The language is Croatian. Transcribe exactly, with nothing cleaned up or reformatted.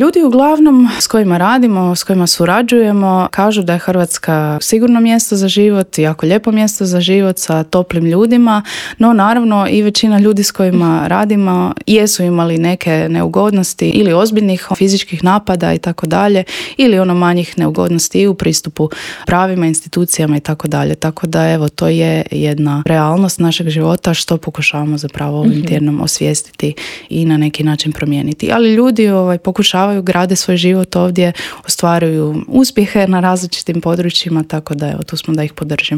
Ljudi uglavnom s kojima radimo, s kojima surađujemo, kažu da je Hrvatska sigurno mjesto za život, jako lijepo mjesto za život sa toplim ljudima, no naravno i većina ljudi s kojima radimo jesu imali neke neugodnosti ili ozbiljnih fizičkih napada i tako dalje, ili ono manjih neugodnosti i u pristupu pravima, institucijama i tako dalje. Tako da evo, to je jedna realnost našeg života što pokušavamo zapravo ovim mm-hmm. tjednom osvijestiti i na neki način promijeniti. Ali ljudi ovaj, pokušavaju, grade svoj život ovdje, ostvaruju uspjehe na različitim područjima, tako da evo, tu smo da ih podržimo.